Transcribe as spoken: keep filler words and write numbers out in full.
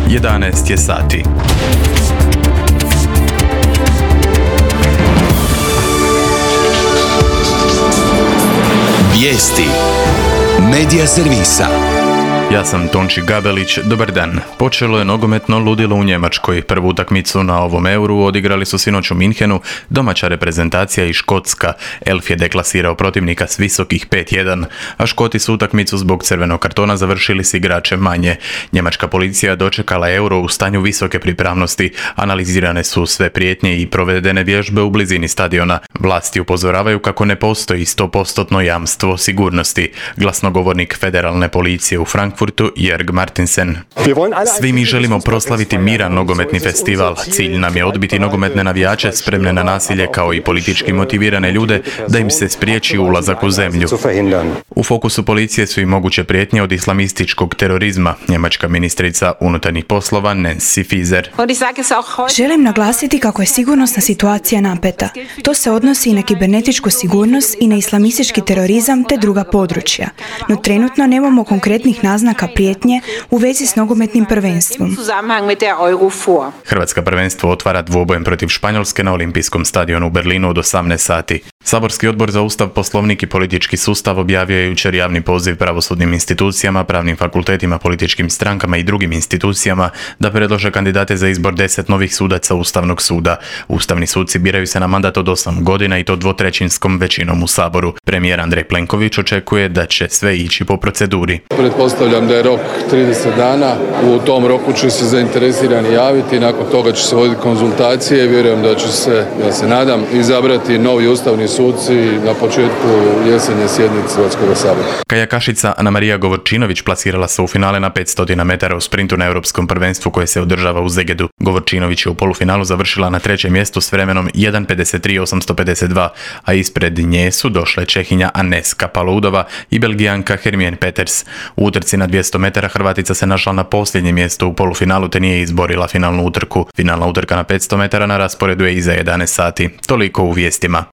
jedanaest je sati. Vijesti Medija servisa. Ja sam Tonči Gabelić, dobar dan. Počelo je nogometno ludilo u Njemačkoj. Prvu utakmicu na ovom Euru odigrali su sinoć u Minhenu domaća reprezentacija i Škotska. Elf je deklasirao protivnika s visokih pet jedan, a Škoti su utakmicu zbog crvenog kartona završili s igračem manje. Njemačka policija dočekala Euro u stanju visoke pripravnosti. Analizirane su sve prijetnje i provedene vježbe u blizini stadiona. Vlasti upozoravaju kako ne postoji sto posto jamstvo sigurnosti. Glasnogovornik federalne policije u Frankfurtu Jörg Martinsen. Svi mi želimo proslaviti miran nogometni festival. Cilj nam je odbiti nogometne navijače spremne na nasilje kao i politički motivirane ljude da im se spriječi ulazak u zemlju. U fokusu policije su i moguće prijetnje od islamističkog terorizma. Njemačka ministrica unutarnjih poslova Nancy Faeser. Želim naglasiti kako je sigurnosna situacija napeta. To se odnosi i na kibernetičku sigurnost i na islamistički terorizam te druga područja. No trenutno nemamo konkretnih naznaka prijetnje u vezi s nogometnim prvenstvom. Hrvatska prvenstvo otvara dvobojem protiv Španjolske na Olimpijskom stadionu u Berlinu od osamnaest sati. Saborski odbor za Ustav, Poslovnik i politički sustav objavio je jučer javni poziv pravosudnim institucijama, pravnim fakultetima, političkim strankama i drugim institucijama da predlože kandidate za izbor deset novih sudaca Ustavnog suda. Ustavni suci biraju se na mandat od osam godina i to dvotrećinskom većinom u Saboru. Premijer Andrej Plenković očekuje da će sve ići po proceduri. Pretpostavljam da je rok trideset dana. U tom roku će se zainteresirani javiti, nakon toga će se voditi konzultacije i vjerujem da će se, ja se nadam, izabrati novi ustavni suci na početku jesenje sjednice Hrvatskog sabora. Kajakašica Anamarija Govorčinović plasirala se u finale na petsto metara u sprintu na Europskom prvenstvu koje se održava u Zegedu. Govorčinović je u polufinalu završila na trećem mjestu s vremenom jedan pedeset tri osamsto pedeset dva, a ispred nje su došle Čehinja Aneska Paloudova i Belgijanka Hermien Peters. U utrci na dvjesto metara Hrvatica se našla na posljednjem mjestu u polufinalu te nije izborila finalnu utrku. Finalna utrka na petsto metara na rasporedu je iza jedanaest sati. Toliko u vijestima.